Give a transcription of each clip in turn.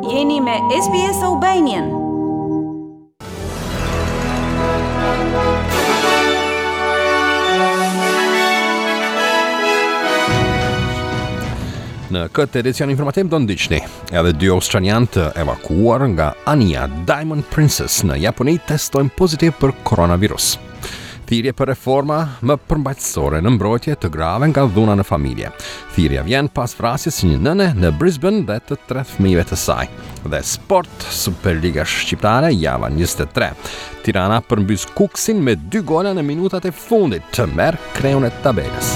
Jeni me SBS Albanian. Në këtë edicion informativ do ndiqni edhe dy australianë të evakuuar nga anija Diamond Princess në Japoni testojnë pozitiv për koronavirus. Thirrje për reforma më përmbajtësore në mbrojtje të grave nga dhuna në familje. Thirrja vjen pas vrasjes së një nëne në Brisbane dhe të tre fëmijëve të saj. Dhe sport, Superliga Shqiptare, java 23. Tirana përmbys Kukësin me dy gola në minutat e fundit të merr kreun e tabelës.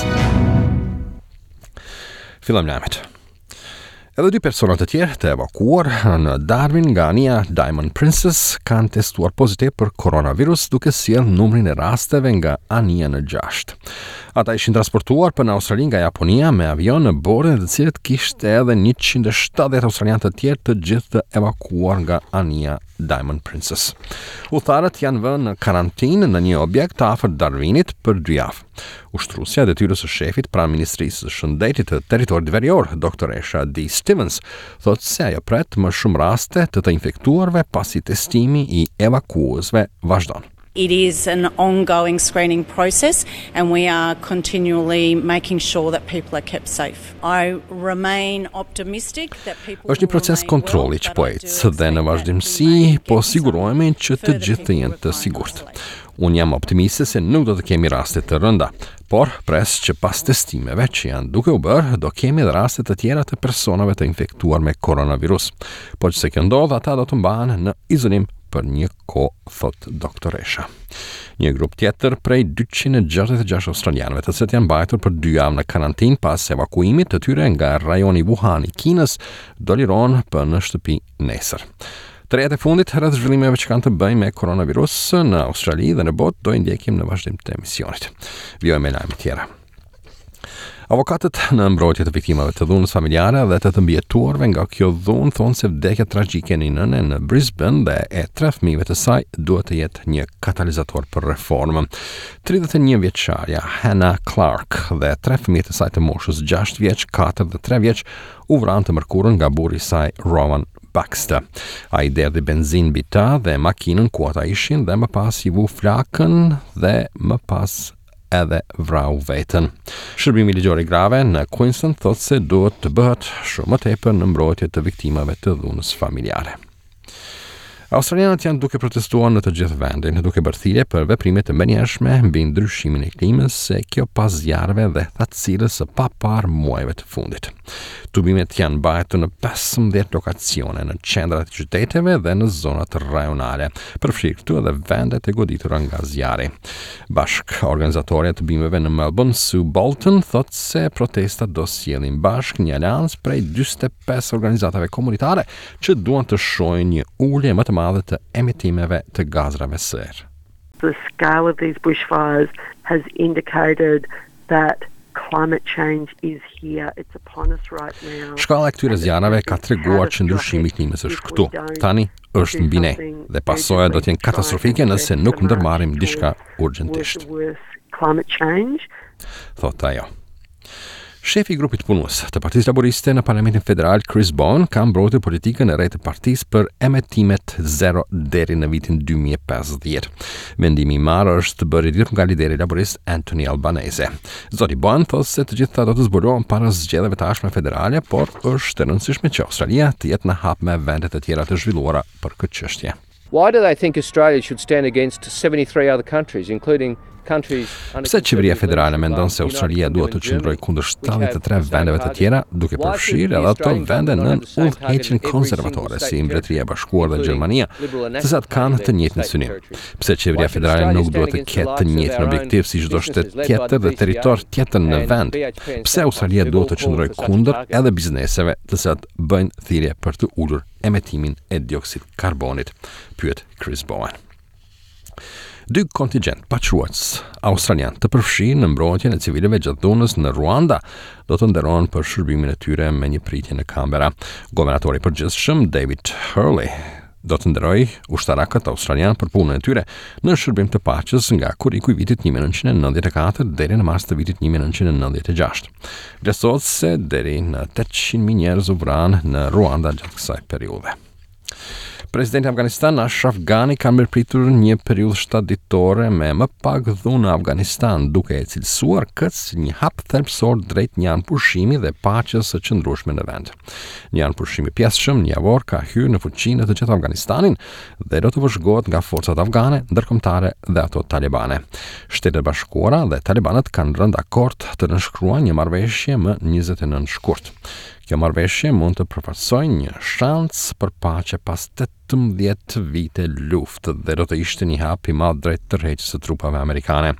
Fillojmë lajmet. Edhe dy persona të tjerë të evakuuar në Darwin nga anija Diamond Princess kanë testuar pozitiv për koronavirus duke sjellë numrin e rasteve nga anija në 6. Ata ishin transportuar për në Australi nga Japonia me avion në bordin e të cilit kishte edhe 170 australianë të tjerë të gjithë të evakuuar nga anija Diamond Princess. Udhëtarët janë vënë në karantinë në një objekt afër Darwinit për dy javë. Ushtruesja e detyrës së shefit pranë Ministrisë së Shëndetit të Territorit Verior, doktoresha Dee Stevens, thotë se ajo pret më shumë raste të të infektuarve pasi testimi i evakuuesve vazhdon. It is an ongoing screening process and we are continually making sure that people are kept safe. I remain optimistic that people Është një proces kontrolli që po ecë dhe në vazhdimësi po sigurohemi që të gjithë të jenë të sigurt. Unë jam optimiste se nuk do të kemi raste të rënda, por pres që pas testimeve që janë duke u bërë, do kemi edhe raste të tjera të personave të infektuar me koronavirus. Po qe se kjo ndodh, ata do të mbahen në izolim për një kohë, thotë doktoresha. Një grup tjetër prej 266 australianëve, të cilët janë mbajtur për dy javë në karantinë pas evakuimit të tyre nga rajoni Wuhan i Kinës, do lirohen për në shtëpi nesër. Të rejat e fundit rreth zhvillimeve që kanë të bëjnë me koronavirus në Australi dhe në botë do i ndjekim në vazhdim të emisionit. Vijojmë me lajme tjera. Avokatët në mbrojtje të viktimave të dhunës familjare dhe të të mbijetuarve nga kjo dhunë thonë se vdekja tragjike e një nëne në Brisbane dhe e tre fëmijëve të saj duhet të jetë një katalizator për reformë. 31 vjeçarja Hannah Clark dhe tre fëmijët e saj të moshës 6 vjeç, 4 dhe 3 vjeç u vranë të mërkurën nga burri i saj Rowan Baxter. Ai derdhi benzinë mbi ta dhe makinën ku ata ishin dhe më pas i vu flakën dhe më pas edhe vrau veten. Shërbimi ligjor i grave në Queensland thotë se duhet të bëhet shumë më tepër në mbrojtje të viktimave të dhunës familjare. Australianët janë duke protestuar në të gjithë vendin, duke bërë thirrje për veprime të menjëhershme mbi ndryshimin e klimës, e kjo pas zjarreve dhe thatësirës së paparë muajve të fundit. Tubimet janë mbajtur në 15 lokacione në qendrat e qyteteve dhe në zonat rajonale, përfshirë këtu edhe vendet e goditura nga zjarri. Bashkëorganizatorja e tubimeve në Melbourne, Sue Bolton, thotë se protestat do sjellin bashkë një aleancë prej 45 organizatave komunitare që duan të shohin një ulje më të madhe të emetimeve të gazrave serë. The scale of these bushfires has indicated that climate change is here, it's upon us right now. Shkalla e këtyre zjarreve ka treguar që ndryshimi i klimës është këtu. Tani është mbi ne dhe pasojat do të jenë katastrofike nëse nuk ndërmarrim diçka urgjentisht. Thotë ajo. Shefi i grupit punues të Partisë Laboriste në Parlamentin Federal, Chris Bowen, ka mbrojtur politikën e re të partisë për emetimet zero deri në vitin 2050. Vendimi i marrë është bërë i ditur nga lideri laborist Anthony Albanese. Zoti Bowen thotë se të gjitha do të zbulohen para zgjedhjeve të ardhshme federale, por është e rëndësishme që Australia të jetë në hap me vendet e tjera të zhvilluara për këtë çështje. Why do they think Australia should stand against 73 other countries, including Pse qeveria federale mendon se Australia duhet të qëndrojë kundër 73 vendeve të tjera, duke përfshirë edhe ato vende nën udhëheqjen konservatore si Mbretëria e Bashkuar dhe Gjermania, të cilat kanë të njëjtin synim? Pse qeveria federale nuk duhet të ketë të njëjtin objektiv si çdo shtet tjetër dhe territor tjetër në vend? Pse Australia duhet të qëndrojë kundër edhe bizneseve të cilat bëjnë thirrje për të ulur emetimin e dioksid karbonit, pyet Chris Bowen. Dy kontingjent paqeruajtës australian të përfshirë në mbrojtjen e civilëve gjatë dhunës në Ruanda do të nderohen për shërbimin e tyre me një pritje në Canberra. Guvernatori i përgjithshëm David Hurley. Do të nderojë ushtarakët australianë për punën e tyre në shërbim të paqes nga korriku i vitit 1994 deri në mars të vitit 1996. Vlerësohet se deri në 800.000 njerëz u vranë në Ruanda gjatë kësaj periudhe. Presidenti i Afganistanit Ashraf Ghani ka mirëpritur një periudhë 7 ditore me më pak dhunë në Afganistan, duke e cilësuar këtë si një hap thelbësor drejt një armëpushimi dhe paqes së qëndrueshme në vend. Një armëpushim i pjesshëm një javor ka hyrë në fuqi në të gjithë Afganistanin dhe do të vëzhgohet nga forcat afgane, ndërkombëtare dhe ato talibane. Shtetet e Bashkuara dhe talibanët kanë rënë dakord të nënshkruajnë një marrëveshje më 29 shkurt. Kjo marrëveshje mund të përfaqësojë një shans për paqe pas 18 vite luftë dhe do të ishte një hap i madh drejt tërheqjes së trupave amerikane.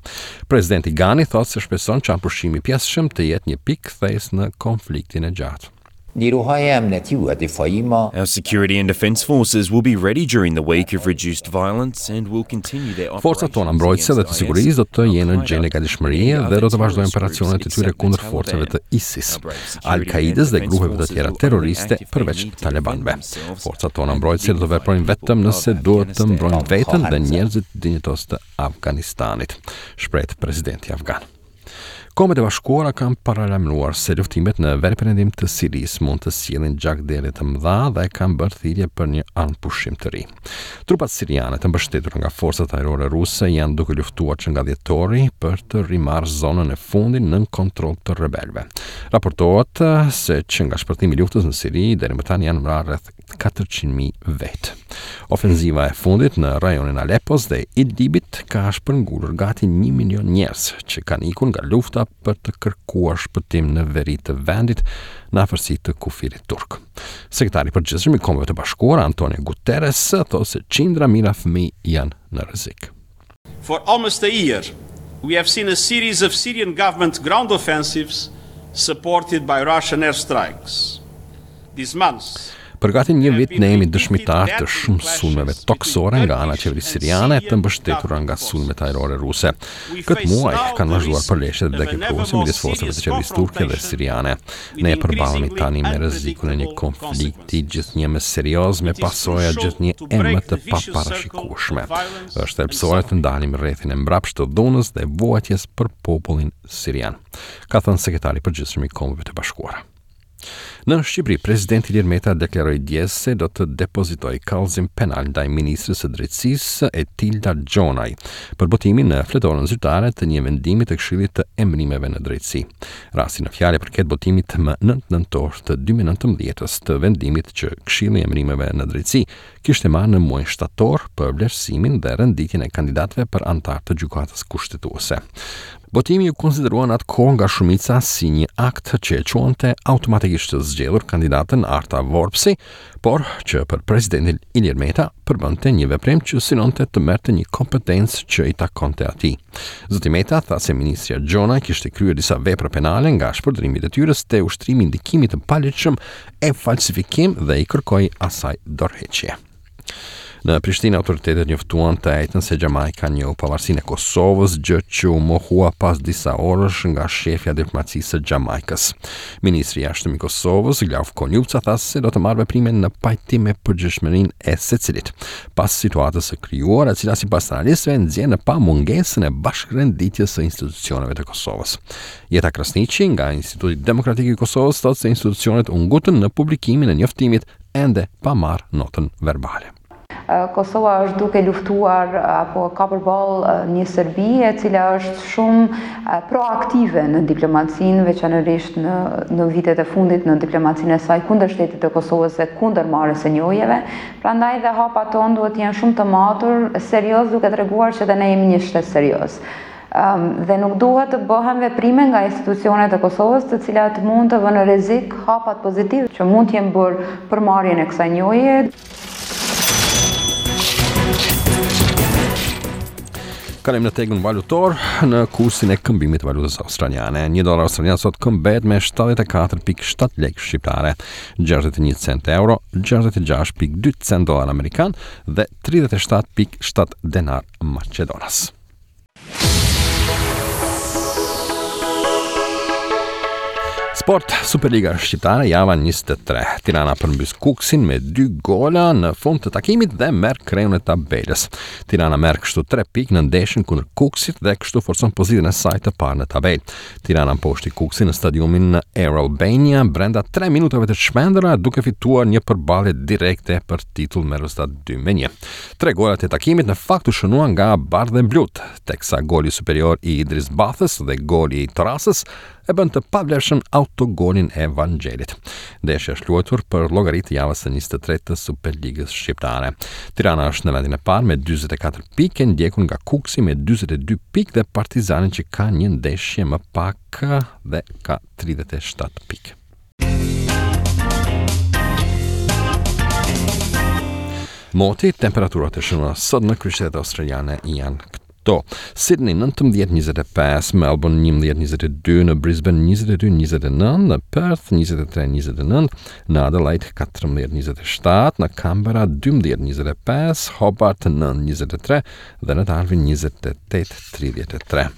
Presidenti Ghani thotë se shpreson që armëpushimi i pjesshëm të jetë një pikë kthesë në konfliktin e gjatë. Our security and defense forces will be ready during the week of reduced violence and will continue their operations Forcat tona mbrojtëse dhe të sigurisë do të jenë në gjendje gatishmërie dhe do të vazhdojnë operacionet e tyre kundër forcave të ISIS. Al-Kaidës dhe grupeve të tjera terroriste përveç talebanëve. Forcat tona mbrojtëse do të veprojnë vetëm nëse duhet të mbrojnë veten dhe njerëzit dinjitozë të Afganistanit, shprehet presidenti afgan. Kombet e Bashkuara kanë paralajmëruar se luftimet në veriperëndim të Sirisë mund të sjellin gjakderdhje të mëdha dhe kanë bërë thirrje për një armëpushim të ri. Trupat siriane të mbështetura nga forcat ajrore ruse janë duke luftuar që nga dhjetori për të rimarrë zonën e fundit nën kontroll të rebelëve. Raportohet se që nga shpërthimi i luftës në Siri deri më tani janë vrarë rreth 400.000 vetë. Ofenziva e fundit në rajonin e Alepos dhe Idlibit ka shpërngulur gati 1 milion njerëz që kanë ikur nga lufta për të kërkuar shpëtim në veri të vendit në afërsi të kufirit turk. Sekretari i Përgjithshëm i Kombeve të Bashkuara, Antonio Guterres, thotë se qindra mijëra fëmijë janë në rrezik. For almost a year, we have seen a series of Syrian government ground offensives supported by Russian airstrikes. These months, Për gati një vit ne jemi dëshmitarë të shumë sulmeve tokësore nga ana e qeverisë siriane të mbështetura nga sulmet ajrore ruse. Këtë muaj kanë vazhduar përleshjet vdekjeprurëse midis forcave të qeverisë turke dhe siriane. Ne përballemi tani me rrezikun e një konflikti gjithnjë më serioz me pasoja gjithnjë e më të paparashikueshme. Është thelbësore të ndalim rrethin e mbrapshtë të dhunës dhe vuajtjes për popullin sirian, ka thënë sekretari i përgjithshëm i Kombeve të Bashkuara. Në Shqipëri, presidenti Ilir Meta deklaroi dje se do të depozitojë kallëzim penal ndaj ministres së Drejtësisë Etilda Gjonaj për botimin në fletoren zyrtare të një vendimi të Këshillit të Emërimeve në Drejtësi. Rasti në fjalë i përket botimit më 9 nëntor të 2019-ës të vendimit që Këshilli i Emërimeve në Drejtësi kishte marrë në muajin shtator për vlerësimin dhe renditjen e kandidatëve për anëtarë të Gjykatës Kushtetuese. Botimi u konsiderua në atë kohë nga shumica si një akt që e quante automatikisht të zgjedhur kandidaten Arta Vorpsi, por që për presidentin Ilir Meta përbënte një veprim që synonte të merrte një kompetencë që i takonte atij. Zoti Meta tha se ministrja Gjonaj kishte kryer disa vepra penale nga shpërdorimi i detyrës te ushtrimi i ndikimit të paligjshëm e falsifikim dhe i kërkoi asaj dorëheqje. Në Prishtinë autoritetet njoftuan të enjten se Xhamajka njohu pavarësinë e Kosovës, gjë që u mohua pas disa orësh nga shefja e diplomacisë së Xhamajkës. Ministri i Jashtëm i Kosovës, Glauk Konjufca tha se do të marrë veprime në pajtim me përgjegjshmërinë e secilit. Pas situatës së krijuar, e cila sipas analistëve nxjerr në pah mungesën e bashkërenditjes së institucioneve të Kosovës. Jeta Krasniqi nga Instituti Demokratik i Kosovës thotë se institucionet u ngutën në publikimin e njoftimit ende pa marrë notën verbale. Kosova është duke luftuar apo ka përballë një Serbi e cila është shumë proaktive në diplomacinë, veçanërisht në në vitet e fundit në diplomacinë e saj kundër shtetit të Kosovës dhe kundër marrjes së njohjeve. Prandaj dhe hapat tonë duhet të jenë shumë të matur, serioz duke treguar që dhe ne jemi një shtet serioz. Dhe nuk duhet të bëhen veprime nga institucionet e Kosovës, të cilat mund të vënë në rrezik hapat pozitivë që mund të jenë bërë për marrjen e kësaj njohjeje. Kalojmë në tregun valutor në kursin e këmbimit të valutës australiane. Një dollar australian sot këmbehet me 74.7 lekë shqiptare, 61 cent euro, 66.2 cent dollar amerikan dhe 37.7 denar maqedonas. Sport, Superliga Shqiptare, java 23. Tirana përmbys Kukësin me 2 gola në fund të takimit dhe merr kreun e tabelës. Tirana merr kështu 3 pikë në ndeshjen kundër Kukësit dhe kështu forcon pozitën e saj të parë në tabelë. Tirana mposhti Kukësin në stadiumin Air Albania brenda 3 minutave të çmendura duke fituar një përballje direkte për titull me rezultat 2-1. Tre golat e takimit në fakt u shënuan nga bardheblutë, teksa goli superior i Idris Bathës dhe goli i Torasës e bënë të pavlefshëm autogolin e Vangjelit. Ndeshja është luajtur për llogari të javës së 23 të Superligës Shqiptare. Tirana është në vendin e parë me 44 pikë, e ndjekur nga Kukësi me 42 pikë dhe Partizani që ka një ndeshje më pak dhe ka 37 pikë. Moti, temperaturat e shënuara sot në kryeqytetet australiane janë këto. Sydney 19.25, Melbourne 11.22, në Brisbane 22.29, në Perth 23.29, në Adelaide 14.27, në Canberra 12.25, Hobart 9.23 dhe në Darwin 28.33.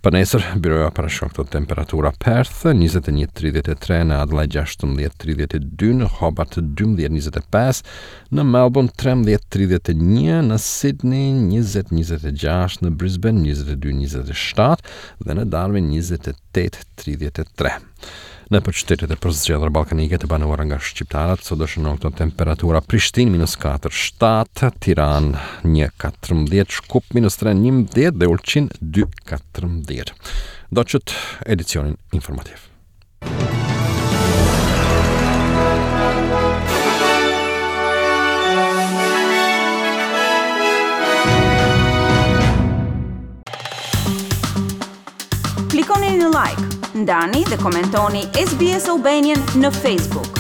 Për nesër, byroja parashikon këto temperatura Perth 21.33, në Adelaide 16.32, në Hobart 12.25, në Melbourne 13.31, në Sydney 20.26, në Brisbane 22.27 dhe në Darwin 28.33. Nëpër qytetet e përzgjedhura ballkanike të banuara nga shqiptarët, sot do shënohen këto temperatura Prishtinë minus 4, 7, Tiranë 1, 14, Shkup minus 3, 11 dhe Ulqin 2, 14. Ndoqët edicionin informativ. Klikoni në like, ndani dhe komentoni SBS Albanian në Facebook.